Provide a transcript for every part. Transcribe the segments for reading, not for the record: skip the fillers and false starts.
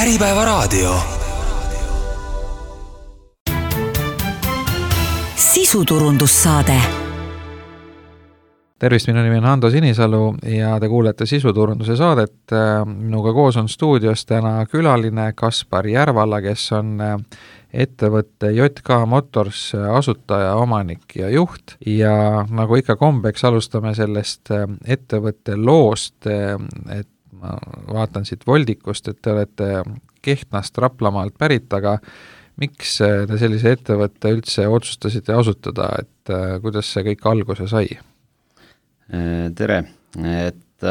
Äripäevaraadio. Sisuturundussaade. Tervist, minu nimi on Hando Sinisalu ja te kuulete Sisuturunduse saadet. Minuga koos on stuudios täna külaline Kaspar Järvala, kes on ettevõtte JK Motors asutaja, omanik ja juht. Ja nagu ikka kombeks, alustame sellest ettevõtte loost, et ma vaatan siit voldikust, et te olete Kehtnast Raplamaalt pärit, aga miks te sellise ettevõtte üldse otsustasite asutada, et kuidas see kõik alguse sai? Tere, et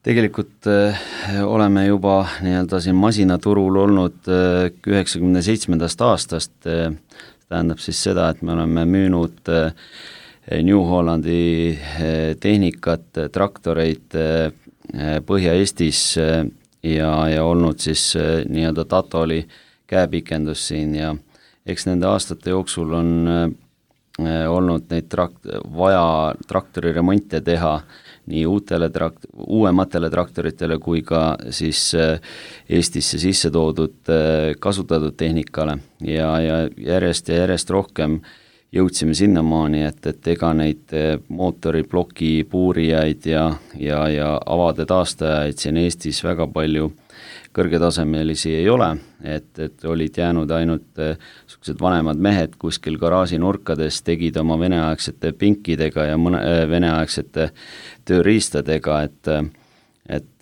tegelikult oleme juba nii-öelda siin masinaturul olnud 97. aastast, tähendab siis seda, et me oleme müünud New Hollandi tehnikat, traktoreid Põhja-Eestis ja olnud siis nii-öelda Tatoli käepikendus siin ja eks nende aastate jooksul on olnud neid vaja traktori remonte teha nii uuematele traktoritele kui ka siis Eestisse sisse toodud kasutatud tehnikale ja järjest rohkem jõudsime sinnamaani, et ega neid mootoriploki puurijaid ja avade taastajaid siin Eestis väga palju kõrgetasemelisi ei ole, et olid jäänud ainult sellised vanemad mehed kuskil garaaži nurkades, tegid oma veneaegsete pinkidega ja veneaegsete tööriistadega, et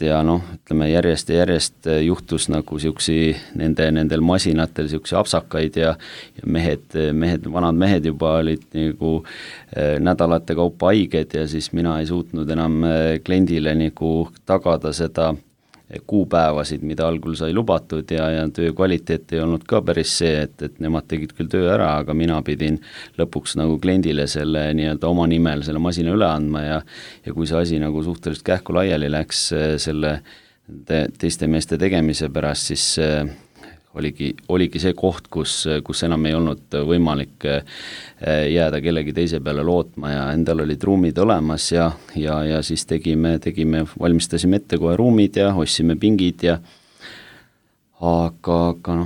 ja ütleme järjest juhtus nagu nendel masinatel siuksi apsakaid ja vanad mehed juba olid nagu nädalate kaupa haiged ja siis mina ei suutnud enam kliendile nagu tagada seda kuupäevasid, mida algul sai lubatud ja töö kvaliteet ei olnud ka päris see, et nemad tegid küll töö ära, aga mina pidin lõpuks nagu kliendile selle nii-öelda oma nimel selle masina üle andma ja kui see asi nagu suhteliselt kähku laiali läks selle teiste meeste tegemise pärast, siis oligi see koht, kus enam ei olnud võimalik jääda kellegi teise peale lootma ja endal olid ruumid olemas ja siis valmistasime ette kohe ruumid ja ostsime pingid ja aga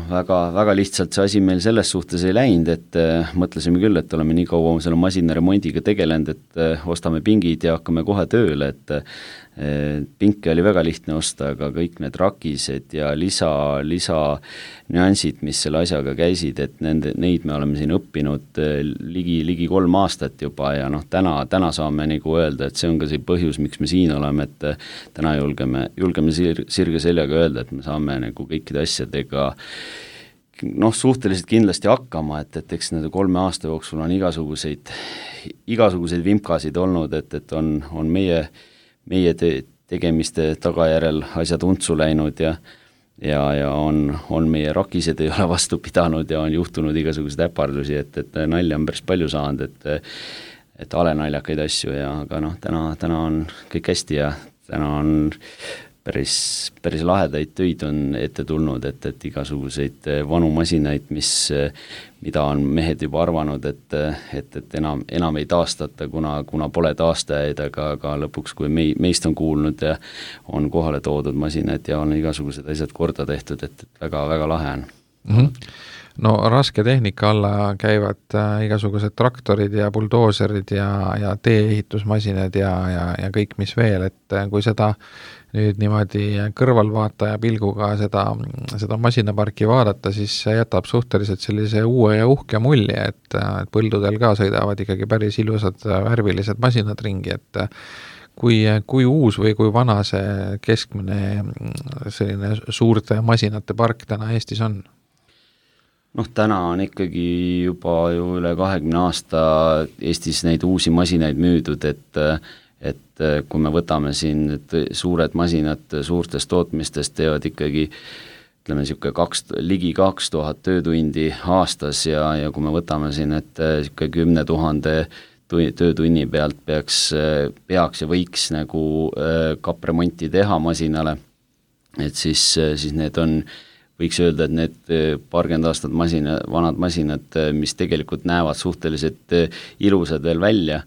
väga lihtsalt see asi meil selles suhtes ei läinud, et mõtlesime küll, et oleme nii kaua selle masina remondiga tegelenud, et ostame pingid ja hakkame kohe tööle, et pinke oli väga lihtne osta, aga kõik need rakised ja lisa nüansid, mis selle asjaga käisid, et neid me oleme siin õppinud ligi 3 aastat juba ja täna saame nagu öelda, et see on ka see põhjus, miks me siin oleme, et täna julgeme sirge seljaga öelda, et me saame nagu kõikide asjadega suhteliselt kindlasti hakkama, et eks nende 3 aasta jooksul on igasuguseid vimkasid olnud, et on meie tegemiste tagajärel asjad untsu läinud ja on meie rakised ei ole vastu pidanud ja on juhtunud igasuguseid äpardusi, et nalja on päris palju saanud, et alenaljakaid asju aga täna on kõik hästi ja täna on päris lahedaid töid on ette tulnud, et igasuguseid vanu masinaid, mida on mehed juba arvanud, et enam ei taastata, kuna pole taastajaid, aga lõpuks, kui meist on kuulnud ja on kohale toodud masinad ja on igasugused asjad korda tehtud, et väga lahe on. Mm-hmm. No raske tehnika alla käivad igasugused traktorid ja buldooserid ja tee-ehitusmasinad ja kõik mis veel, et kui seda nüüd niimoodi kõrvalvaataja pilguga seda masinaparki vaadata, siis see jätab suhteliselt sellise uue ja uhke mulje, et põldudel ka sõidavad ikkagi päris ilusad värvilised masinad ringi, et kui uus või kui vana see keskmine selline suurte masinate park täna Eestis on? Täna on ikkagi juba ju üle 20 aasta Eestis neid uusi masinaid müüdud, et kui me võtame siin suured masinad suurtest tootmistest teevad ikkagi ütleme ligi 2000 töötundi aastas ja kui me võtame siin, et 10 000 töötunni pealt peaks ja võiks nagu kapremonti teha masinale, et siis need on võiks öelda, et need paarkümmend aastat vanad masinad, mis tegelikult näevad suhteliselt ilusad veel välja,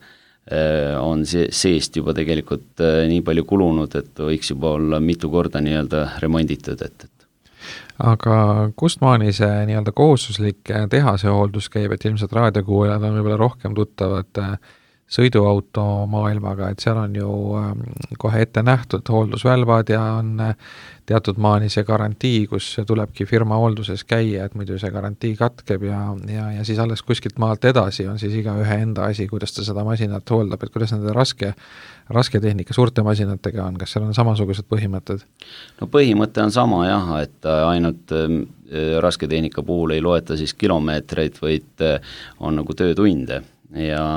on seest juba tegelikult nii palju kulunud, et võiks juba olla mitu korda nii-öelda remonditud, et Aga kust maani see nii-öelda kohustuslik tehase hooldus käib, et ilmselt raadiokuulajad on võib-olla rohkem tuttavad sõiduauto maailmaga, et seal on ju kohe ette nähtud hooldusvälvad ja on teatud maani see garantii, kus tulebki firma hoolduses käia, et muidu see garantii katkeb ja siis alles kuskilt maalt edasi on siis igaühe enda asi, kuidas ta seda masinat hooldab, et kuidas nende raske tehnika suurte masinatega on, kas seal on samasugused põhimõtted? No põhimõte on sama jah, et ainult raske tehnika puhul ei loeta siis kilomeetreid, vaid on nagu töötunde ja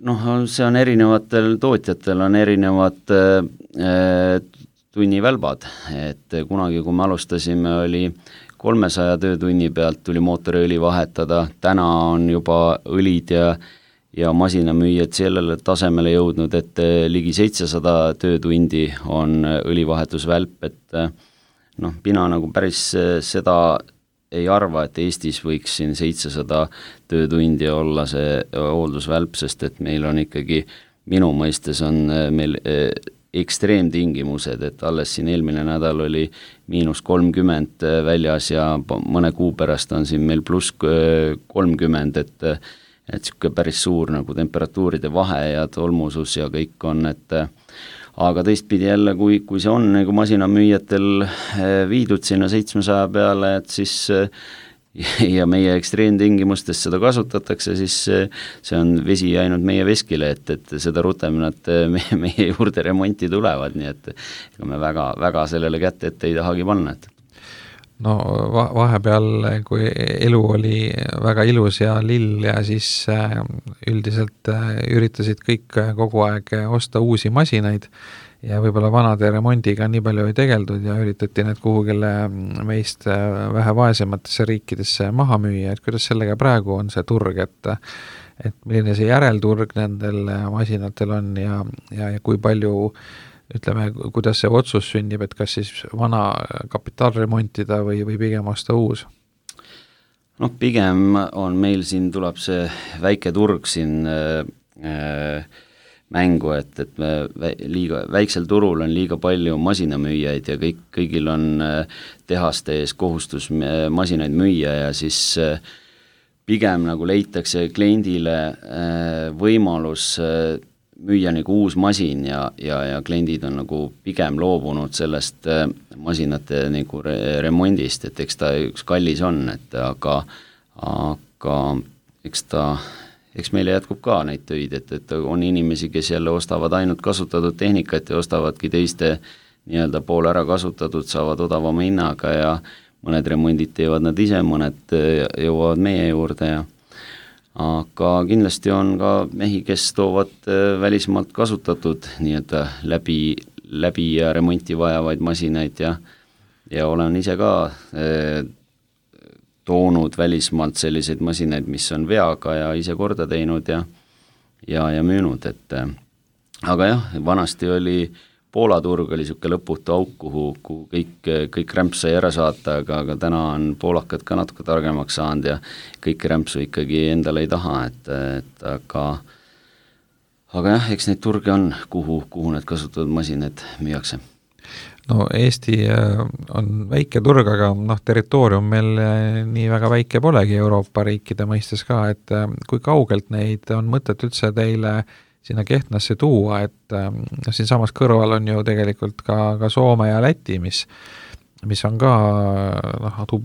noh, see on erinevatel tootjatel on erinevad tunnivälbad, et kunagi, kui me alustasime, oli 300 töötunni pealt tuli mootoriõli vahetada, täna on juba õlid ja masinamüüjad sellele tasemele jõudnud, et ligi 700 töötundi on õlivahetusvälp, et noh, mina nagu päris seda ei arva, et Eestis võiks siin 700 töötundi olla see hooldusvälp, sest et meil on ikkagi, minu mõistes on meil ekstreemtingimused, et alles siin eelmine nädal oli -30 väljas ja mõne kuu pärast on siin meil +30, et niisugune päris suur nagu temperatuuride vahe ja tolmusus ja kõik on, et aga teistpidi jälle, kui see on nagu masinamüüjatel viidud sinna 700 peale, et siis ja meie ekstreemtingimustes seda kasutatakse, siis see on vesi jäänud meie veskile, et seda rutem nad meie juurde remonti tulevad, nii et ega me väga sellele kätte ette ei tahagi panna, et no vahepeal, kui elu oli väga ilus ja lill ja siis üldiselt üritasid kõik kogu aeg osta uusi masinaid ja võib-olla vanade remondiga nii palju ei tegeldud ja üritati need kuhugile meist vähe vaesematesse riikidesse maha müüa, et kuidas sellega praegu on see turg, et milline see järelturg nendel masinatel on ja kui palju ütleme, kuidas see otsus sünnib, et kas siis vana kapitaal remontida või pigem osta uus? Noh, pigem on meil siin, tuleb see väike turg siin mängu, et liiga väiksel turul on liiga palju masinamüüjaid ja kõigil on tehaste ees kohustus masinaid müüa ja siis pigem nagu leitakse kliendile võimalus müüa nagu uus masin ja kliendid on nagu pigem loobunud sellest masinate nagu remondist, et eks ta üks kallis on, et aga eks meile jätkub ka neid töid, et on inimesi, kes jälle ostavad ainult kasutatud tehnikat ja ostavadki teiste nii-öelda pool ära kasutatud, saavad odavama hinnaga ja mõned remondid teevad nad ise, mõned jõuavad meie juurde aga kindlasti on ka mehi, kes toovad välismaalt kasutatud nii-öelda läbi ja remonti vajavaid masinaid ja olen ise ka toonud välismaalt selliseid masinaid, mis on veaga ja ise korda teinud ja müünud, et aga jah, vanasti oli Poola turg oli niisugune lõputu auk, kuhu kõik rämps sai ära saata, aga täna on poolakad ka natuke targemaks saanud ja kõik rämpsu ikkagi endale ei taha, et aga jah, eks neid turge on, kuhu need kasutatud masinad müüakse. No Eesti on väike turg, aga territoorium meil nii väga väike polegi Euroopa riikide mõistes ka, et kui kaugelt neid on mõtet üldse teile sinna Kehtnasse tuua, et siin samas kõrval on ju tegelikult ka Soome ja Läti, mis on ka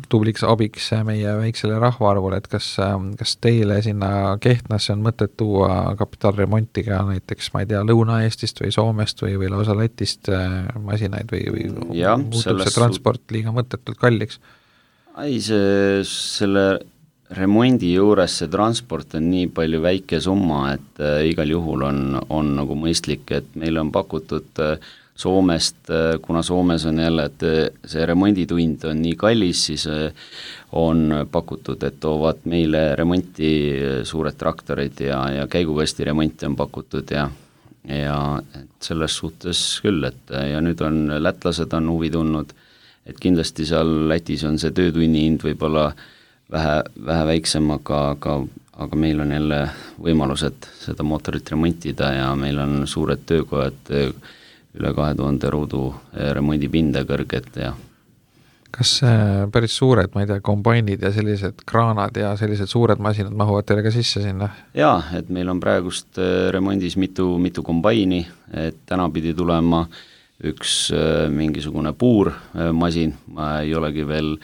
tubliks abiks meie väiksele rahvaarvule, et kas teile sinna Kehtnasse on mõtet tuua kapitaalremonti ka näiteks, ma ei tea, Lõuna-Eestist või Soomest või lausa Lätist masinaid või muutub see transport liiga mõttetult kalliks? Ei, selle remondi juures see transport on nii palju väike summa, et igal juhul on nagu mõistlik, et meil on pakutud Soomest, kuna Soomes on jälle, et see remonditund on nii kallis, siis on pakutud, et toovad meile remonti suured traktorid ja käigukasti remonti on pakutud ja selles suhtes küll, et ja nüüd on lätlased on huvi tundnud, et kindlasti seal Lätis on see töötunni hind võib-olla vähe väiksem, aga meil on jälle võimalused seda mootorit remontida ja meil on suured töökojad üle 2000 ruudu remondipinda kõrget ja kas päris suured, ma ei tea, kombainid ja sellised kraanad ja sellised suured masinad mahuvad teile ka sisse sinna? Jaa, et meil on praegust remondis mitu kombaini, et täna pidi tulema üks mingisugune puurmasin, ma ei olegi veel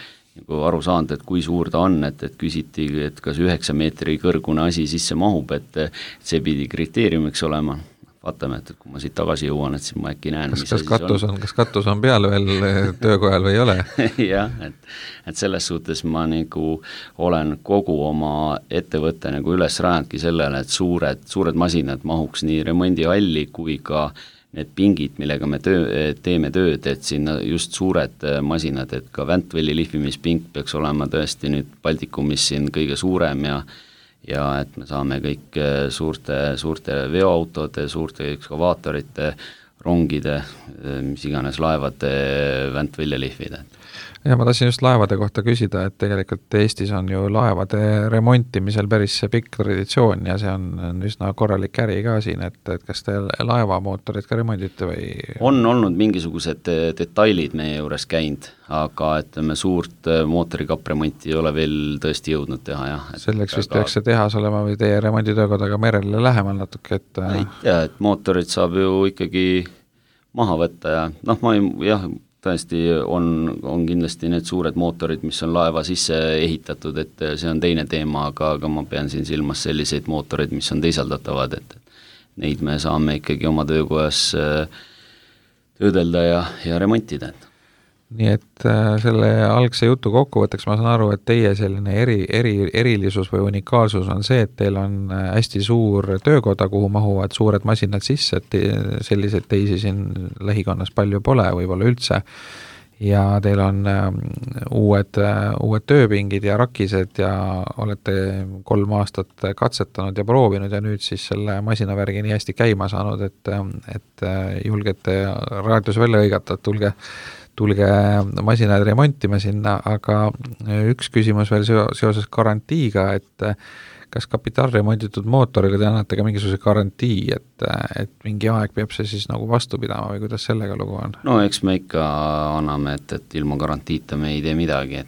nagu aru saanud, et kui suur ta on, et küsiti, et kas 9 meetri kõrgune asi sisse mahub, et see pidi kriteeriumiks olema. Vaatame, et kui ma siit tagasi jõuan, et siis ma äkki näen, kas katus on peal veel töökojal või ei ole? Jah, et selles suhtes ma nagu olen kogu oma ettevõtte nagu üles rajandki sellele, et suured masinad mahuks nii remondihalli kui ka need pingid, millega me teeme tööd, et sinna just suured masinad, et ka Ventvelli lihvimispink peaks olema tõesti nüüd Baltikumis siin kõige suurem ja et me saame kõik suurte veoautode, suurte ekskavaatorite, rongide, mis iganes laevade Ventvelli lihvida. Ja ma tahtsin just laevade kohta küsida, et tegelikult Eestis on ju laevade remontimisel päris pikk traditsioon ja see on üsna korralik äri ka siin, et kas te laevamootorid ka remondite või? On olnud mingisugused detailid meie juures käinud, aga ütleme suurt mootorikappremonti ei ole veel tõesti jõudnud teha, jah. Selleks vist peaks see tehas olema või teie remonditöökodaga merele lähemal natuke, et ei tea, et mootorid saab ju ikkagi maha võtta ja tõesti on kindlasti need suured mootorid, mis on laeva sisse ehitatud, et see on teine teema, aga ma pean siin silmas selliseid mootoreid, mis on teisaldatavad, et neid me saame ikkagi oma töökojas töödelda ja remontida. Nii et selle algse jutu kokkuvõtteks ma saan aru, et teie selline erilisus või unikaalsus on see, et teil on hästi suur töökoda, kuhu mahuvad suured masinad sisse, et selliseid teisi siin lähikonnas palju pole, võib-olla üldse, ja teil on uued tööpingid ja rakised ja olete 3 aastat katsetanud ja proovinud ja nüüd siis selle masinavärgi nii hästi käima saanud, et julgete raadios välja hõigata, et tulge masinaid remontima sinna, aga üks küsimus veel seoses garantiiga, et kas kapitaalremonditud mootoriga te annate ka mingisuguse garantii, et mingi aeg peab see siis nagu vastu pidama või kuidas sellega lugu on? No eks me ikka anname, et ilma garantiita me ei tee midagi,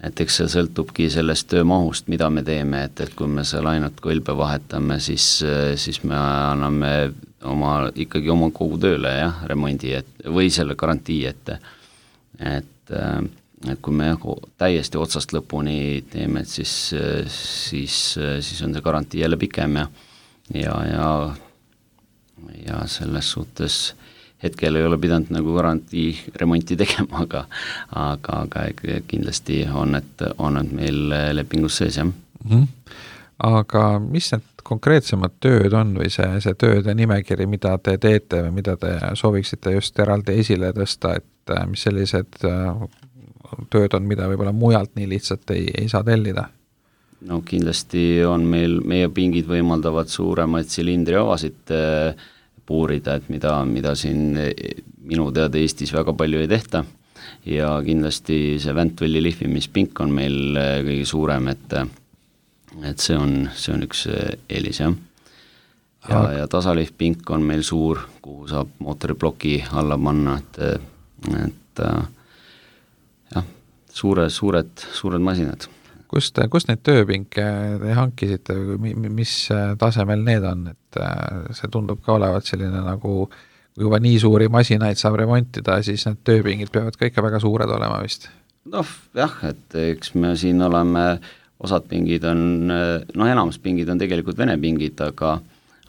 et eks see sõltubki sellest töömahust, mida me teeme, et kui me seal ainult kõlbe vahetame, siis me anname ikkagi oma kogu tööle remondi või selle garantii, et kui me täiesti otsast lõpuni teeme, et siis on see garantii jälle pikem ja selles suhtes hetkel ei ole pidanud nagu garantii remonti tegema, aga kindlasti on need meil lepingus sees, jah. Aga mis need konkreetsemad tööd on või see tööde nimekiri, mida te teete või mida te sooviksite just eraldi esile tõsta, et mis sellised tööd on, mida võib-olla mujalt nii lihtsalt ei saa tellida? No kindlasti on meie pingid võimaldavad suuremaid silindriavasid puurida, et mida siin minu teada Eestis väga palju ei tehta ja kindlasti see Ventvelli lihvimispink on meil kõige suurem, et see on üks eelis, jah. Ja tasalihvpink on meil suur, kuhu saab mootoriploki alla panna, et jah, suured masinad. Kust neid tööpinke te hankisite, mis tasemel need on, et see tundub ka olevat selline nagu, kui juba nii suuri masinaid saab remontida, siis need tööpingid peavad ka ikka väga suured olema vist? Jah, et eks me siin oleme osad pingid on, enamus pingid on tegelikult Vene pingid,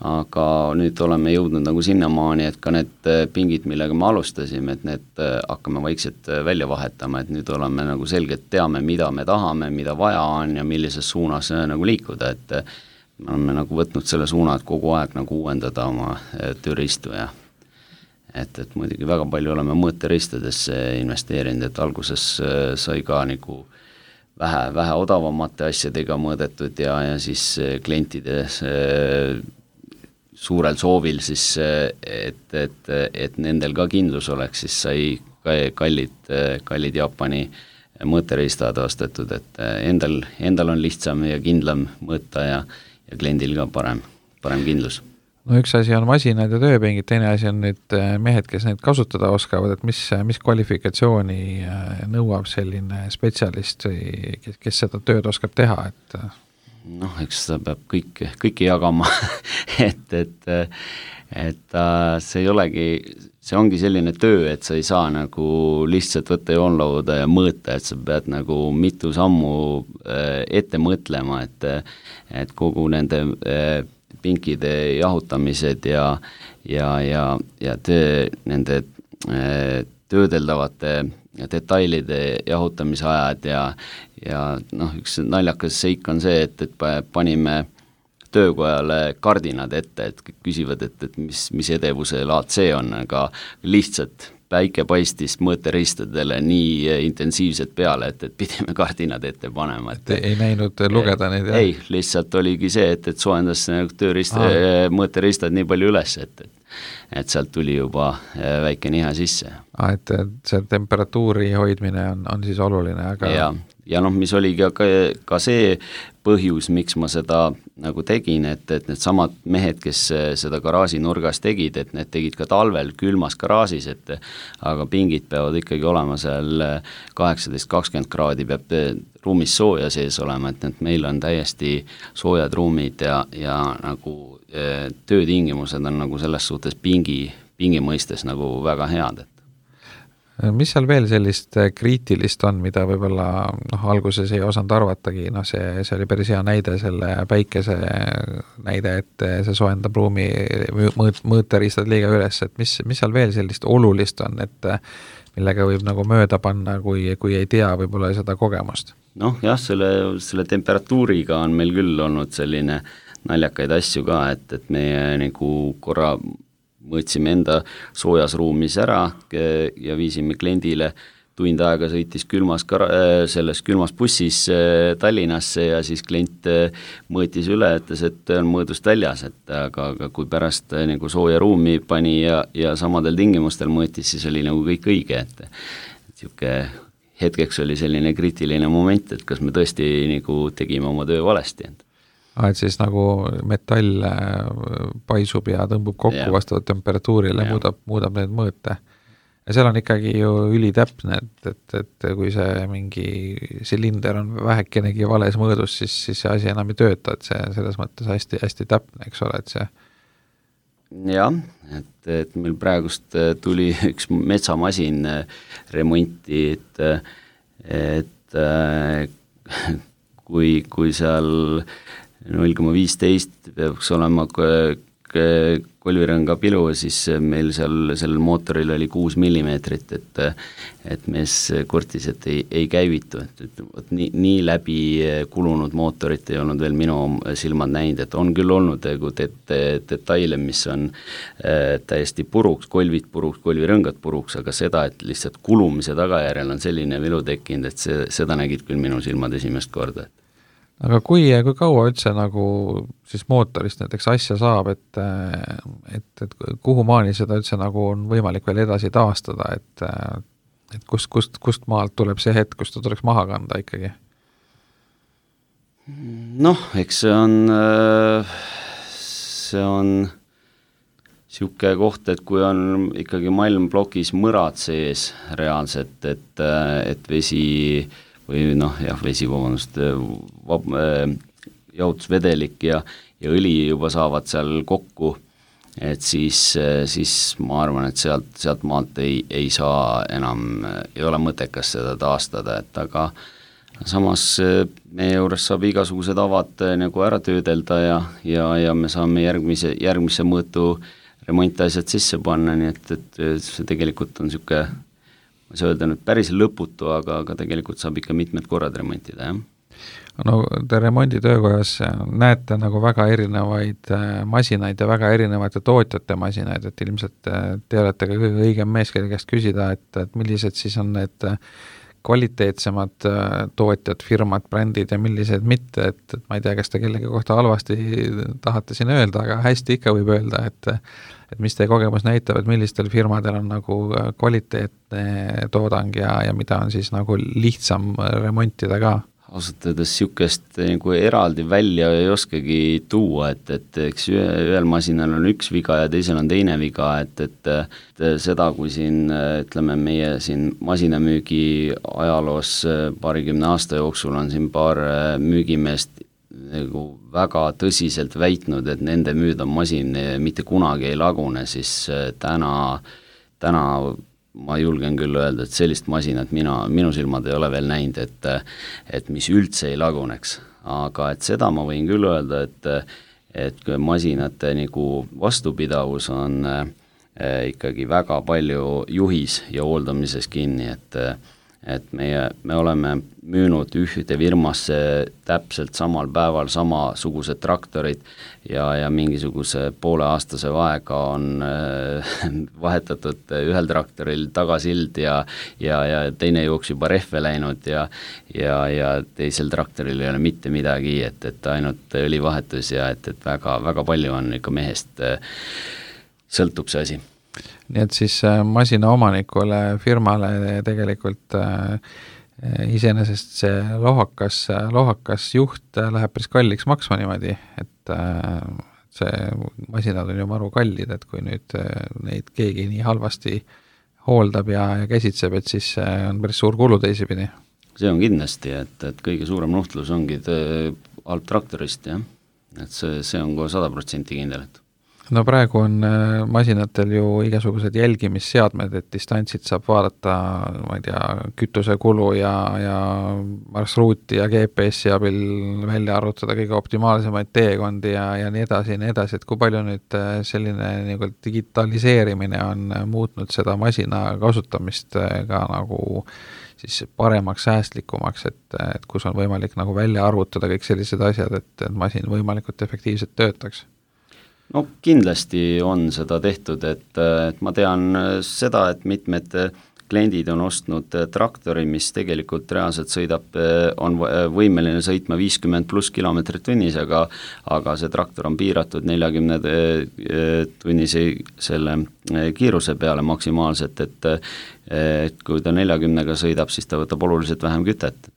aga nüüd oleme jõudnud nagu sinnamaani, et ka need pingid, millega me alustasime, et need hakkame vaikselt välja vahetama, et nüüd oleme nagu selgelt teame, mida me tahame, mida vaja on ja millises suunas nagu liikuda, et me oleme nagu võtnud selle suuna, et kogu aeg nagu uuendada oma tööriistu ja et muidugi väga palju oleme mõõteristadesse investeerinud, et alguses sai ka nagu vähe odavamate asjadega mõõdetud ja siis klientide suurel soovil siis, et nendel ka kindlus oleks, siis sai kallid Jaapani mõõteriistad ostetud, et endal on lihtsam ja kindlam mõõta ja kliendil ka parem kindlus. no üks asi on masinad ja tööpingid, teine asi on nüüd mehed, kes neid kasutada oskavad, et mis kvalifikatsiooni nõuab selline spetsialist või kes seda tööd oskab teha, et noh, eks ta peab kõike jagama et see ei olegi, see ongi selline töö, et sa ei saa nagu lihtsalt võtta joonlauda ja mõõta, et sa pead nagu mitu sammu ette mõtlema, et kogu nende pinkide jahutamised ja nende töödeldavate detailide jahutamise ajad ja noh, üks naljakas seik on see, et panime töökojale kardinad ette, et küsivad, et mis edevuse laad see on, aga lihtsalt päike paistis mõõteriistadele nii intensiivselt peale, et pidime kardinad ette panema. Et ei näinud lugeda neid? Ei, lihtsalt oligi see, et soojendas mõõteriistad nii palju üles, et sealt tuli juba väike nihe sisse. Et see temperatuuri hoidmine on siis oluline, aga ja noh, mis oligi ka see põhjus, miks ma seda nagu tegin, et need samad mehed, kes seda garaaži nurgas tegid, et need tegid ka talvel külmas garaažis, aga pingid peavad ikkagi olema seal 18-20 kraadi, peab ruumis sooja sees olema, et meil on täiesti soojad ruumid ja nagu töötingimused on nagu selles suhtes pingi mõistes nagu väga head. Mis seal veel sellist kriitilist on, mida võib-olla alguses ei osanud arvatagi, see oli päris hea näide, selle päikese näide, et see soojendab ruumi mõõteriistad liiga üles, et mis seal veel sellist olulist on, et millega võib nagu mööda panna, kui ei tea võib-olla seda kogemust? Noh jah, selle temperatuuriga on meil küll olnud selline naljakaid asju ka, et meie nagu korra mõõtsime enda soojas ruumis ära ja viisime kliendile, tund aega sõitis selles külmas bussis Tallinnasse ja siis klient mõõtis üle, ütles, et on mõõdust väljas, aga kui pärast nagu sooja ruumi pani ja samadel tingimustel mõõtis, siis oli nagu kõik õige, et niisugune hetkeks oli selline kriitiline moment, et kas me tõesti nagu tegime oma töö valesti. Et siis nagu metall paisub ja tõmbub kokku vastavalt temperatuurile, muudab need mõõte. Ja seal on ikkagi ju ülitäpne, et kui see mingi silinder on vähekenegi vales mõõdus, siis see asi enam ei tööta, et see selles mõttes hästi, hästi täpne, eks ole, et see. Jah, et meil praegust tuli üks metsamasin remonti, et kui seal 0,15 peaks olema kolvirõnga pilu, siis meil sellel mootoril oli 6 millimeetrit, et mees kurtis, et ei käivitu, et nii läbi kulunud mootorit ei olnud veel minu silmad näinud, et on küll olnud detaile, mis on täiesti puruks, kolvid puruks, kolvirõngad puruks, aga seda, et lihtsalt kulumise tagajärjel on selline vilu tekkinud, et seda nägid küll minu silmad esimest korda. Aga kui kaua üldse nagu siis mootorist näiteks asja saab, et kuhu maani seda üldse nagu on võimalik veel edasi taastada, et kust maalt tuleb see hetk, kus ta tuleks maha kanda ikkagi? Noh, eks see on niisugune koht, et kui on ikkagi malmplokis mõrad sees reaalselt, et vesi või vesi, jahutusvedelik ja õli juba saavad seal kokku, et siis ma arvan, et sealt maalt ei saa enam, ei ole mõttekas seda taastada, et aga samas meie juures saab igasugused avad nagu ära töödelda ja me saame järgmise mõõtu remontasjad sisse panna, nii et see tegelikult on niisugune, ma ei saa öelda nüüd päris lõputu, aga tegelikult saab ikka mitmed korrad remontida, jah. No te remonditöökojas näete nagu väga erinevaid masinaid ja väga erinevate tootjate masinaid, et ilmselt te olete ka kõige õigem mees, kelle käest küsida, et millised siis on need kvaliteetsemad tootjad, firmad, brändid ja millised mitte, et ma ei tea, kas te kellegi kohta halvasti tahate siin öelda, aga hästi ikka võib öelda, et mis teie kogemus näitab, et millistel firmadel on nagu kvaliteetne toodang ja mida on siis nagu lihtsam remontida ka? ausalt öeldes niisugust nagu eraldi välja ei oskagi tuua, et eks ühel masinal on üks viga ja teisel on teine viga, et seda, kui siin ütleme, meie siin masinamüügi ajaloos paarikümne aasta jooksul on siin paar müügimeest nagu väga tõsiselt väitnud, et nende müüdav masin mitte kunagi ei lagune, siis täna ma julgen küll öelda, et sellist masinat minu silmad ei ole veel näinud, et mis üldse ei laguneks. Aga et seda ma võin küll öelda, et masinate nagu vastupidavus on ikkagi väga palju juhis ja hooldamises kinni, et me oleme müünud ühte firmasse täpselt samal päeval samasugused traktorid ja mingisuguse pooleaastase vaega on vahetatud ühel traktoril tagasild ja teine jooks juba rehve läinud ja teisel traktoril ei ole mitte midagi, et ainult õlivahetus ja et väga, väga palju on ikka mehest sõltub see asi. Nii et siis masina omanikule, firmale tegelikult iseenesest see lohakas juht läheb päris kalliks maksma niimoodi, et see masinad on ju maru kallid, et kui nüüd neid keegi nii halvasti hooldab ja käsitseb, et siis on päris suur kulu teisipidi. See on kindlasti, et kõige suurem nuhtlus ongi halb traktorist, jah. Et see on kohe 100% kindel, et no praegu on masinatel ju igasugused jälgimisseadmed, et distantsid saab vaadata, ma ei tea, kütusekulu ja marsruuti ja GPS-i abil välja arvutada kõige optimaalsemaid teekondi ja nii edasi, et kui palju nüüd selline nagu digitaliseerimine on muutnud seda masina kasutamist ka nagu siis paremaks, säästlikumaks, et kus on võimalik nagu välja arvutada kõik sellised asjad, et masin võimalikult efektiivselt töötaks. No kindlasti on seda tehtud, et ma tean seda, et mitmed kliendid on ostnud traktori, mis tegelikult reaalselt on võimeline sõitma 50+ kilomeetrit tunnis, aga see traktor on piiratud 40 tunnise selle kiiruse peale maksimaalselt, et kui ta 40-ga sõidab, siis ta võtab oluliselt vähem kütet.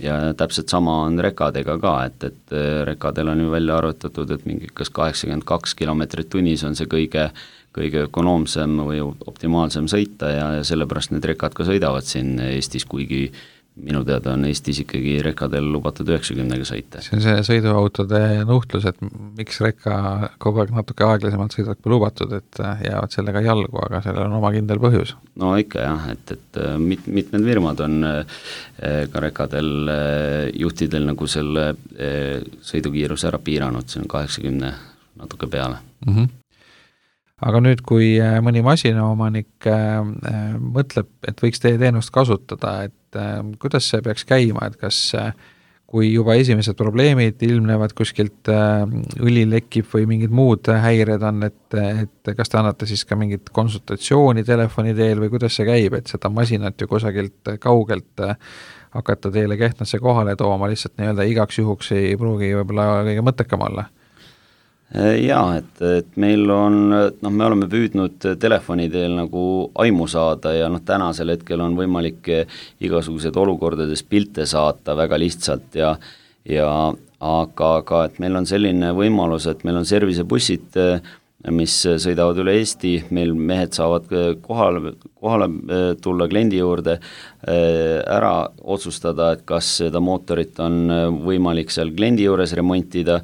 Ja täpselt sama on rekadega ka, et rekadel on ju välja arvutatud, et mingi kas 82 kilomeetrit tunnis on see kõige ökonoomsem või optimaalsem sõita ja sellepärast need rekad ka sõidavad siin Eestis, kuigi minu teada on Eestis ikkagi rekadel lubatud 90-ga sõita. See on see sõiduautode nuhtlus, et miks rekka kogu aeg natuke aeglasemalt sõidab kui lubatud, et jäävad sellega jalgu, aga sellel on oma kindel põhjus. No ikka jah, et mitmed firmad on ka rekadel juhtidel nagu selle sõidukiiruse ära piiranud, see on 80 natuke peale. Aga nüüd, kui mõni masinaomanik mõtleb, et võiks teie teenust kasutada, et kuidas see peaks käima, et kas kui juba esimesed probleemid ilmnevad kuskilt õli lekib või mingid muud häired on, et kas te annate siis ka mingit konsultatsiooni telefoni teel või kuidas see käib, et seda masinat ju kusagilt kaugelt hakata teile Kehtnasse kohale tooma, lihtsalt nii-öelda igaks juhuks ei pruugi võib-olla kõige mõttekam olla? Jaa, et meil on, me oleme püüdnud telefoni teel nagu aimu saada ja tänasel hetkel on võimalik igasugused olukordades pilte saata väga lihtsalt aga et meil on selline võimalus, et meil on servicebussid, mis sõidavad üle Eesti, meil mehed saavad kohale tulla kliendi juurde, ära otsustada, et kas seda mootorit on võimalik seal kliendi juures remontida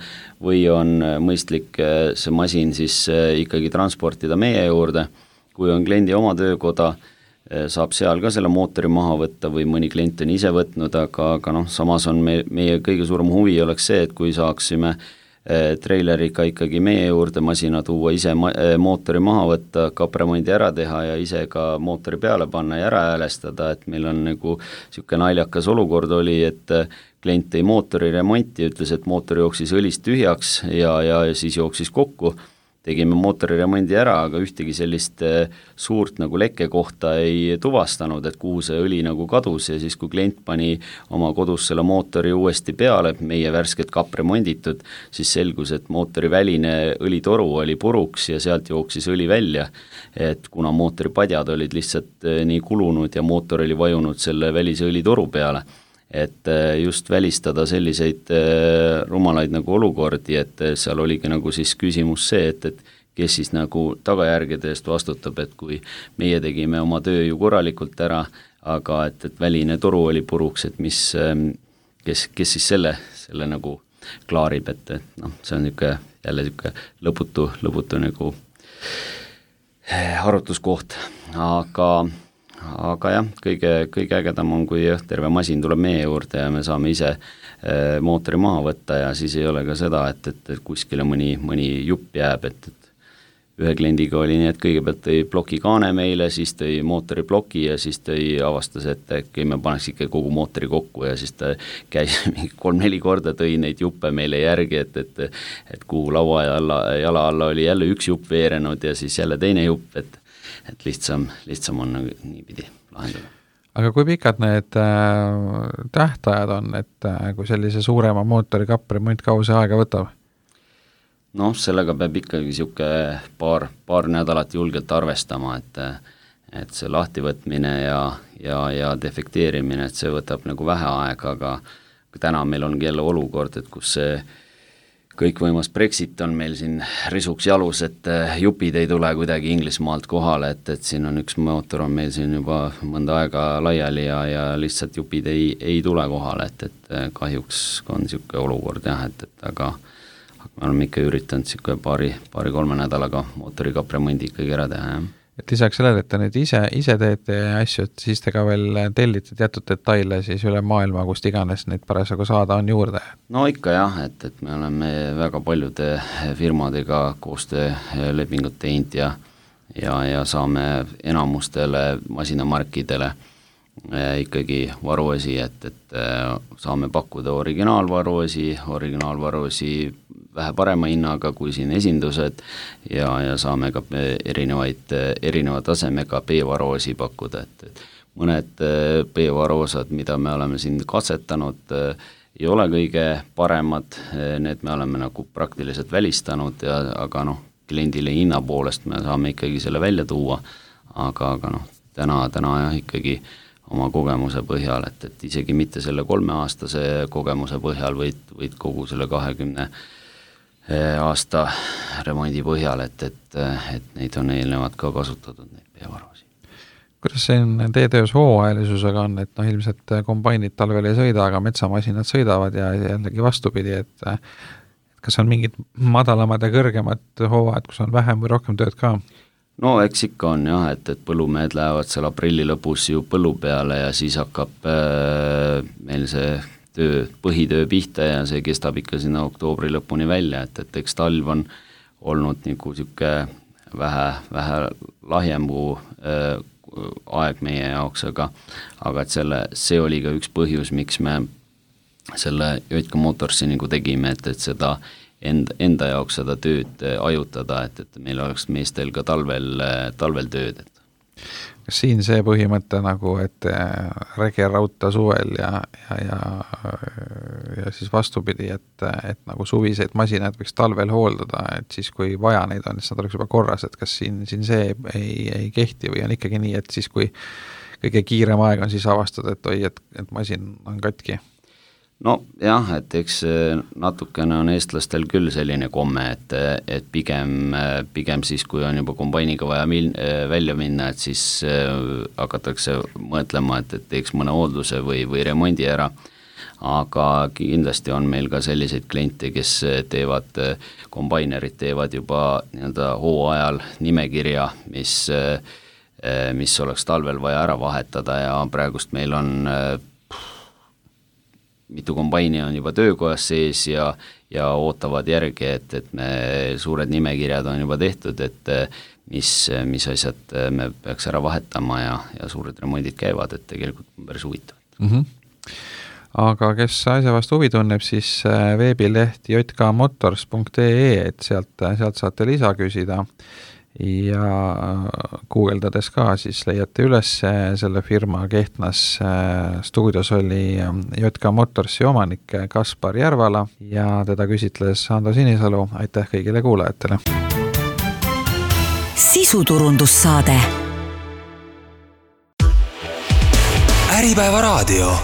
või on mõistlik see masin siis ikkagi transportida meie juurde. Kui on kliendi oma töökoda, saab seal ka selle mootori maha võtta või mõni klient on ise võtnud, aga samas on meie kõige suurem huvi oleks see, et kui saaksime treileriga ikkagi meie juurde masina tuua, ise mootori maha võtta, kapremondi ära teha ja ise ka mootori peale panna ja ära häälestada, et meil on nagu niisugune naljakas olukord oli, et klient tõi mootori remonti, ütles, et mootor jooksis õlist tühjaks ja siis jooksis kokku. Tegime mootori remondi ära, aga ühtegi sellist suurt nagu lekke kohta ei tuvastanud, et kuhu see õli nagu kadus ja siis kui klient pani oma kodus selle mootori uuesti peale, meie värsket kapremonditud, siis selgus, et mootori väline õlitoru oli puruks ja sealt jooksis õli välja, et kuna mootori padjad olid lihtsalt nii kulunud ja mootor oli vajunud selle välise õlitoru peale, et just välistada selliseid rumalaid nagu olukordi, et seal oligi nagu siis küsimus see, et kes siis nagu tagajärgede eest vastutab, et kui meie tegime oma töö ju korralikult ära, aga et väline toru oli puruks, et kes siis selle nagu klaarib, et noh, see on jälle lõputu nagu arutluskoht, aga jah, kõige ägedam on, kui terve masin tuleb meie juurde ja me saame ise mootori maha võtta ja siis ei ole ka seda, et kuskile mõni jupp jääb, et ühe kliendiga oli nii, et kõigepealt tõi ploki kaane meile, siis tõi mootori ploki ja siis avastas, et äkki me paneks ikka kogu mootori kokku ja siis ta käis 3-4 korda, tõi neid juppe meile järgi, et kuhu laua jala alla oli jälle üks jupp veerenud ja siis jälle teine jupp, et lihtsam on niipidi lahendada. Aga kui pikad need tähtajad on, et kui sellise suurema mootori kapp kaua see aega võtab? Noh, sellega peab ikkagi siuke paar nädalat julgelt arvestama, et see lahtivõtmine ja defekteerimine, et see võtab nagu vähe aega, aga täna meil ongi jälle olukord, et kus see kõikvõimas Brexit on meil siin risuks jalus, et jupid ei tule kuidagi Inglismaalt kohale, et siin on üks mootor on meil siin juba mõnda aega laiali ja lihtsalt jupid ei tule kohale, et kahjuks on siuke olukord jah, et aga me oleme ikka üritanud siuke paari-kolme nädalaga mootori kapremondi ikkagi ära teha, jah. Et lisaks sellele, et te nüüd ise teete asju, et siis te ka veel tellite teatud detaile siis üle maailma, kust iganes neid parasjagu saada on juurde? No ikka jah, et me oleme väga paljude firmadega koostöölepingut teinud ja saame enamustele masinamarkidele ikkagi varuosi, et saame pakkuda originaalvaruosi vähe parema hinnaga kui siin esindused ja saame ka erineva tasemega B-varuosi pakkuda, et mõned B-varuosad, mida me oleme siin katsetanud, ei ole kõige paremad, need me oleme nagu praktiliselt välistanud, aga noh, kliendile hinna poolest me saame ikkagi selle välja tuua, aga noh, täna jah ikkagi oma kogemuse põhjal, et isegi mitte selle 3-aastase kogemuse põhjal, võid kogu selle 20 aasta remondi põhjal, et neid on eelnevad ka kasutatud, neid B-varusid. Kuidas see teie töös hooajalisusega on, et noh, ilmselt kombainid talvel ei sõida, aga metsamasinad sõidavad ja jällegi vastupidi, et kas on mingid madalamad ja kõrgemad hooajad, kus on vähem või rohkem tööd ka? No eks ikka on jah, et põllumehed lähevad seal aprilli lõpus ju põllu peale ja siis hakkab meil see põhitöö pihta ja see kestab ikka sinna oktoobri lõpuni välja, et eks talv on olnud nagu siuke vähe lahjembu aeg meie jaoks, aga et see oli ka üks põhjus, miks me selle Jotka Motorsi nagu tegime, et seda enda jaoks seda tööd ajutada, et meil oleks meestel ka talvel tööd. Kas siin see põhimõte nagu, et rege rauta suvel ja siis vastupidi, et nagu suviseid masinaid võiks talvel hooldada, et siis kui vaja neid on, siis nad oleks juba korras, et kas siin see ei kehti või on ikkagi nii, et siis kui kõige kiirem aeg on, siis avastada, et oi, et masin on katki? No jah, et eks natukene on eestlastel küll selline komme, et pigem siis, kui on juba kombainiga vaja välja minna, et siis hakatakse mõtlema, et teeks mõne hoolduse või remondi ära, aga kindlasti on meil ka selliseid kliente, kes teevad, kombainerid teevad juba nii-öelda hooajal nimekirja, mis oleks talvel vaja ära vahetada ja praegust meil on mitu kombaini on juba töökojas sees ja ootavad järgi, et me suured nimekirjad on juba tehtud, et mis asjad me peaks ära vahetama ja suured remondid käivad, et tegelikult on päris huvitavad. Aga kes asja vastu huvi tunneb, siis veebileht jkmotors.ee, et sealt saate lisa küsida ja guugeldades ka siis leiate üles selle firma Kehtnas. Stuudios oli Jotka Motorsi omanik Kaspar Järvala ja teda küsitles Ando Sinisalu. Aitäh kõigile kuulajatele! Sisuturundussaade Äripäeva raadio